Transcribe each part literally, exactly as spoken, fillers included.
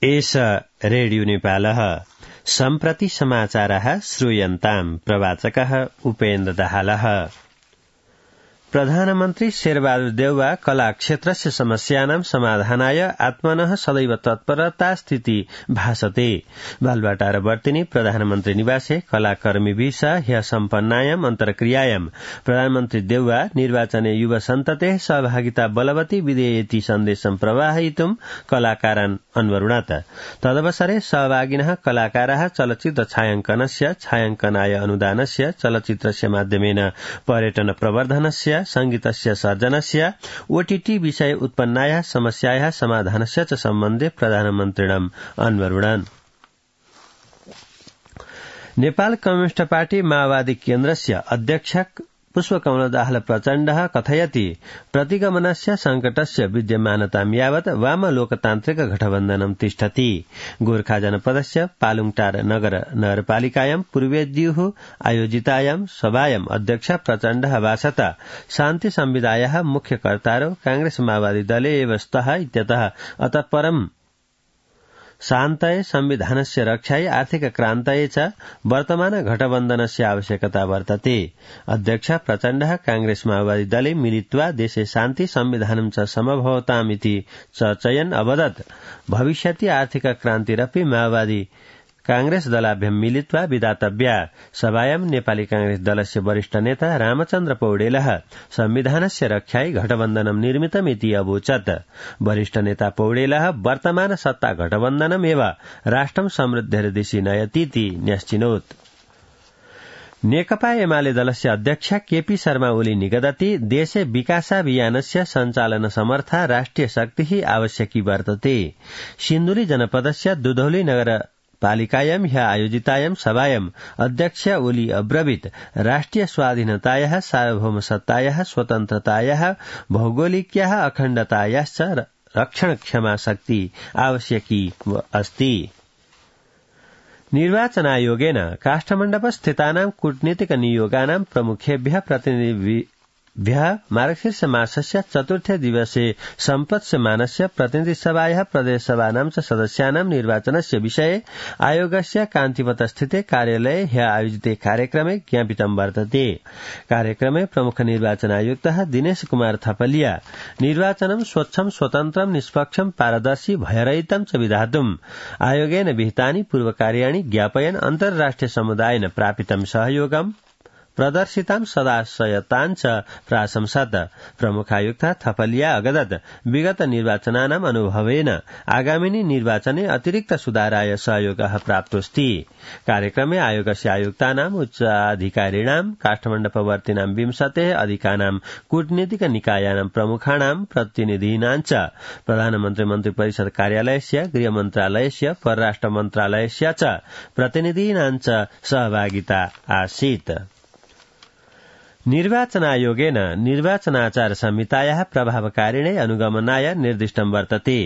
एष रेडियो नेपालः सम्प्रति समाचारः श्रूयन्ताम् प्रवाचकः उपेन्द्र दाहालः। प्रधानमन्त्री शेरबहादुर देउवा कला क्षेत्रस्य समस्यानां समाधानाय आत्मनः सदैव तत्परता स्थिति भासते। बालुवाटार वर्तिनी प्रधानमन्त्री निवासे कलाकर्मीभिः ह्य सम्पन्नायाम् अन्तर्क्रियायाम् प्रधानमन्त्री देउवा निर्वाचने युवा सन्ततेः सहभागिता बलवती विधेयेति सन्देशं प्रवाहयितुं कलाकारान् अन्वरुणत। तदवसरे सहभागिनः कलाकाराः चलच्चित्र छायाङ्कनस्य छायाङ्कनाय अनुदानस्य चलच्चित्रस्य माध्यमेन पर्यटन प्रवर्धनस्य संगीतस्य सर्जनस्य ओटीटी विषय उत्पन्नायाः समस्यायाः समाधानस्य च सम्बन्धे प्रधानमन्त्रिणम् अन्वरुणन्। नेपाल कम्युनिस्ट पार्टी माओवादी केन्द्रस्य अध्यक्ष पुष्पकमल दाहाल प्रचण्डः कथयति प्रतिगमनस्य संकटस्य विद्यमानतां यावत् वाम लोकतान्त्रिक गठबन्धनं तिष्ठति। गोर्खा जनपदस्य पालुङटार नगर नगरपालिकायां पूर्वेद्युः आयोजितायां सभायां अध्यक्ष प्रचण्डः भाषता शान्ति संविदायाः मुख्य कर्तारौ कांग्रेस माओवादी दले एव स्तः इत्यतः अतः परं शान्तये संविधानस्य रक्षायै आर्थिक क्रान्तये च वर्तमान घटबन्धनस्य आवश्यकता वर्तते। अध्यक्ष प्रचण्डः कांग्रेस माओवादी दले मिलित्वा देशे शान्ति संविधानं च समभवतामिति चर्चयन् अवदत् भविष्यति आर्थिक क्रान्तिरपि माओवादी कांग्रेस दलाभ्यां मिलित्वा विधातव्या। सभायां नेपाली कांग्रेस दलस्य वरिष्ठ नेता रामचन्द्र पौडेलः संविधानस्य रक्षायै घटबन्धनं निर्मितमिति अवोचत्। वरिष्ठ नेता पौडेलः वर्तमान सत्ता घटबन्धनमेव राष्ट्रं समृद्धिर्दिशि नयतीति न्यश्चिनोत्। नेकपा एमाले दलस्य अध्यक्ष केपी शर्मा ओली निगदति देशे विकासाभियानस्य सञ्चालन समर्था राष्ट्रिय शक्तिः आवश्यकी वर्तते। सिन्धुली जनपदस्य दुधौली नगर पालिकायां ह्य आयोजितायां सभायां अध्यक्ष ओली अब्रवीत् राष्ट्रिय स्वाधीनतायाः सार्वभौमसत्तायाः स्वतन्त्रतायाः भौगोलिक्याः अखण्डतायाश्च रक्षणक्षमा शक्ति आवश्यकी अस्ति। निर्वाचनायोगेन काष्ठमण्डपस्थितानां कूटनीतिक नियोगानां प्रमुखेभ्यः प्रतिनिधि भ्यः मार्गशीर्ष मासस्य चतुर्थे दिवसे सम्पत्स्यमानस्य प्रतिनिधिसभायाः प्रदेशसभानां च सदस्यानां निर्वाचनस्य विषये आयोगस्य कान्तिपथस्थिते कार्यालये ह्य आयोजिते कार्यक्रमे ज्ञापितं वर्तते। कार्यक्रमे प्रमुख निर्वाचनायुक्तः दिनेश कुमार थपलिया निर्वाचनं स्वच्छं स्वतन्त्रं निष्पक्षं पारदर्शी भयरहितं च विधातुम् आयोगेन विहितानि पूर्वकार्याणि ज्ञापयन् अन्तर्राष्ट्रिय समुदायेन प्रापितं सहयोगं प्रदर्शितां सदाशयतां च प्राशंसत। प्रमुखायुक्त थपलिया अगदत् विगत निर्वाचनानाम् अनुभवेन आगामिनि निर्वाचने अतिरिक्त सुधाराय सहयोगः प्राप्तोऽस्ति। कार्यक्रमे आयोगस्य आयुक्तानाम् उच्चाधिकारिणां काष्ठमण्डपवर्तिनां विंशतेः अधिकानां कूटनीतिक निकायानां प्रमुखाणां प्रतिनिधीनां च प्रधानमन्त्री मन्त्रिपरिषद कार्यालयस्य गृहमन्त्रालयस्य परराष्ट्र मन्त्रालयस्य च प्रतिनिधीनां च सहभागिता आसीत्। निर्वाचनायोगेन निर्वाचनाचार संहितायाः प्रभावकारिणे अनुगमनाय निर्दिष्टं वर्तते।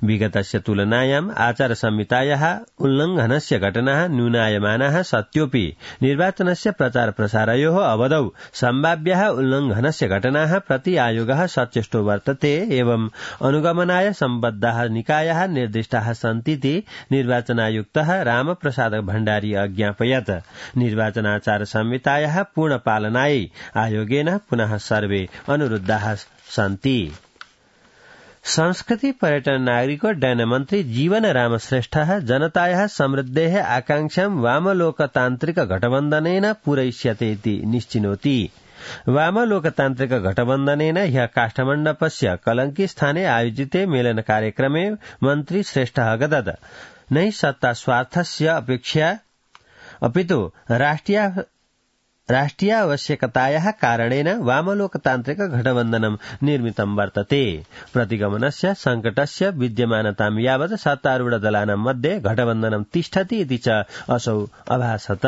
विगतस्य तुलनायाम् आचार संहितायाः उल्लङ्घनस्य घटनाः न्यूनायमानाः सत्योऽपि निर्वाचनस्य प्रचार प्रसारयोः अवधौ सम्भाव्याः उल्लङ्घनस्य घटनाः प्रति आयोगः सचेष्टो वर्तते एवं अनुगमनाय सम्बद्धाः निकायाः निर्दिष्टाः सन्तीति निर्वाचनायुक्तः रामप्रसाद भण्डारी अज्ञापयत्। निर्वाचनाचार संहितायाः पूर्णपालनायै आयोगेन पुनः सर्वे अनुरुद्धाः सन्ति। संस्कृति पर्यटन नागरिकोड्डयन मन्त्री जीवन राम श्रेष्ठः जनतायाः समृद्धेः आकांक्षां वामलोकतान्त्रिक घटबन्धनेन पूरयिष्यते इति निश्चिनोति। वामलोकतान्त्रिक घटबन्धनेन ह्यः काष्ठमण्डपस्य कलंकी स्थाने आयोजिते मेलन कार्यक्रमे मन्त्री श्रेष्ठः अगदत् न सत्ता स्वार्थस्य अपेक्षया अपितु राष्ट्रिय राष्ट्रियावश्यकतायाः कारणेन वामलोकतान्त्रिक घटबन्धनं निर्मितं वर्तते। प्रतिगमनस्य संकटस्य विद्यमानतां यावत् सत्तारूढ दलानां मध्ये घटबन्धनं तिष्ठति इति च असौ अभासत।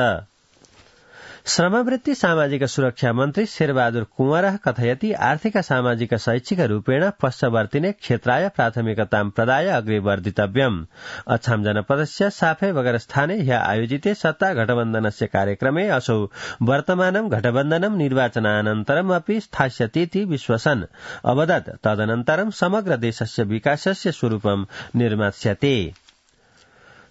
श्रमवृत्ति सामाजिक सुरक्षा मन्त्री शेरबहादुर कुंवरः कथयति आर्थिक सामाजिक शैक्षिक रूपेण पश्चवर्तिने क्षेत्राय प्राथमिकतां प्रदाय अग्रे वर्धितव्यम्। अछाम जनपदस्य साफे बगर स्थाने ह्य आयोजिते सत्ता घटबन्धनस्य कार्यक्रमे असौ वर्तमानं घटबन्धनं निर्वाचनानन्तरमपि स्थास्यतीति विश्वसन् अवदत्। तदनन्तरं समग्र देशस्य विकासस्य स्वरूपं निर्मास्यते।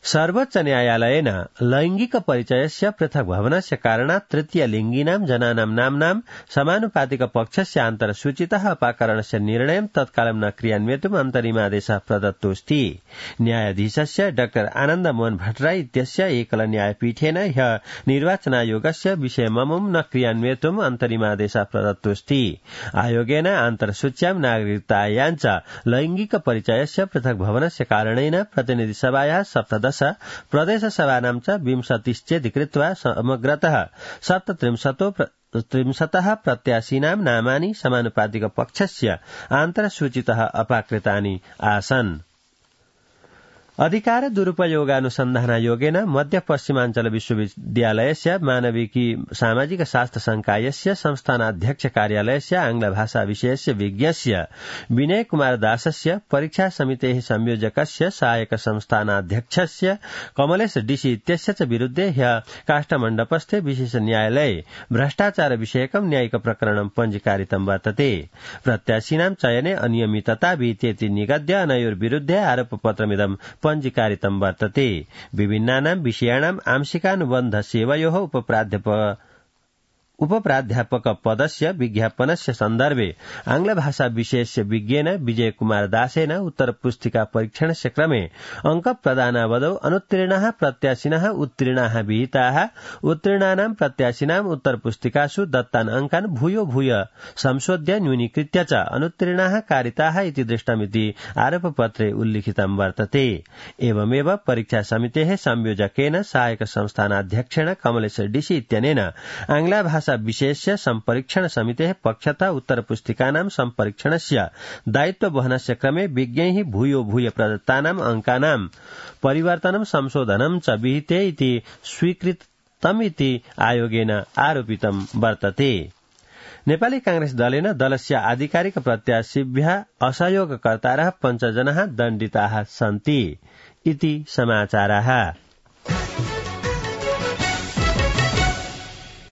सर्वोच्च न्यायालयेन लैंगिक परिचयस्य पृथक् भवनस्य कारणात् तृतीयलिङ्गिनां जनानां नाम्नां समानुपातिक पक्षस्य आन्तरसूचितः अपाकरणस्य निर्णयं तत्कालं न क्रियान्वेतुम् अन्तरिमादेशः प्रदत्तोऽस्ति। न्यायाधीशस्य डॉ आनन्द मोहन भट्टराई इत्यस्य एकल न्यायपीठेन ह्यः निर्वाचनायोगस्य विषयममुं न क्रियान्वेतुम् अन्तरिमादेशः प्रदत्तोऽस्ति। आयोगेन आन्तरसूच्यां नागरिकतायाञ्च लैंगिक परिचयस्य पृथक् भवनस्य कारणेन प्रतिनिधिसभायाः सप्तदश प्रदेशसभानां च विंशतिश्चेति कृत्वा समग्रतः सप्तत्रिंशतो त्रिंशतः प्रत्याशिनां नामानि समानुपातिक पक्षस्य आन्तरसूचितः अपाकृतानि आसन्। अधिकार दुरुपयोगानुसन्धानायोगेन मध्य पश्चिमाञ्चल विश्वविद्यालयस्य मानविकी सामाजिक शास्त्र संकायस्य संस्थानाध्यक्ष कार्यालयस्य आंग्लभाषा विषयस्य विज्ञस्य विनय कुमार दासस्य परीक्षा समितेः संयोजकस्य सहायक संस्थानाध्यक्षस्य कमलेश डीसी इत्यस्य च विरुद्धे ह्यः काष्ठमण्डपस्थे विशेष न्यायालये भ्रष्टाचार विषयकं न्यायिक प्रकरणं पञ्जीकारितं वर्तते। प्रत्याशिनां चयने अनियमितता विद्येति निगद्य अनयोर्विरुद्धे आरोपपत्रमिदं पञ्जीकारितं वर्तते। विभिन्नानां विषयाणाम् आंशिकानुबन्ध सेवयोः उपप्राध्यापक उपप्राध्यापक पदस्य विज्ञापनस्य सन्दर्भे आंग्लभाषा विषयस्य विज्ञेन विजय कुमार दासेन उत्तर पुस्तिका परीक्षणस्य क्रमे अंक प्रदानावधौ अनुत्तीर्णाः प्रत्याशिनः उत्तीर्णाः विहिताः उत्तीर्णानां प्रत्याशिनाम् उत्तर पुस्तिकासु दत्तान् अंकान् भूयो भूय संशोध्य न्यूनीकृत्य च अनुत्तीर्णाः कारिताः इति दृष्टमिति आरोपपत्रे उल्लिखितं वर्तते। एवमेव परीक्षा समितेः संयोजकेन सहायक संस्थानाध्यक्षेण कमलेश डीसी इत्यनेन आंग्लभाषा विशेष्य सम्परीक्षण समितेः पक्षतः उत्तरपुस्तिकानां सम्परीक्षणस्य दायित्व वहनस्य क्रमे विज्ञैः भूयो भूय प्रदत्तानाम् अंकानां परिवर्तनं संशोधनं च विहिते इति स्वीकृतमिति आयोगेन आरोपितं वर्तते। नेपाली कांग्रेस दलेन दलस्य आधिकारिक प्रत्याशिभ्यः असहयोगकर्तारः पञ्चजनाः दण्डिताः सन्ति इति समाचाराः।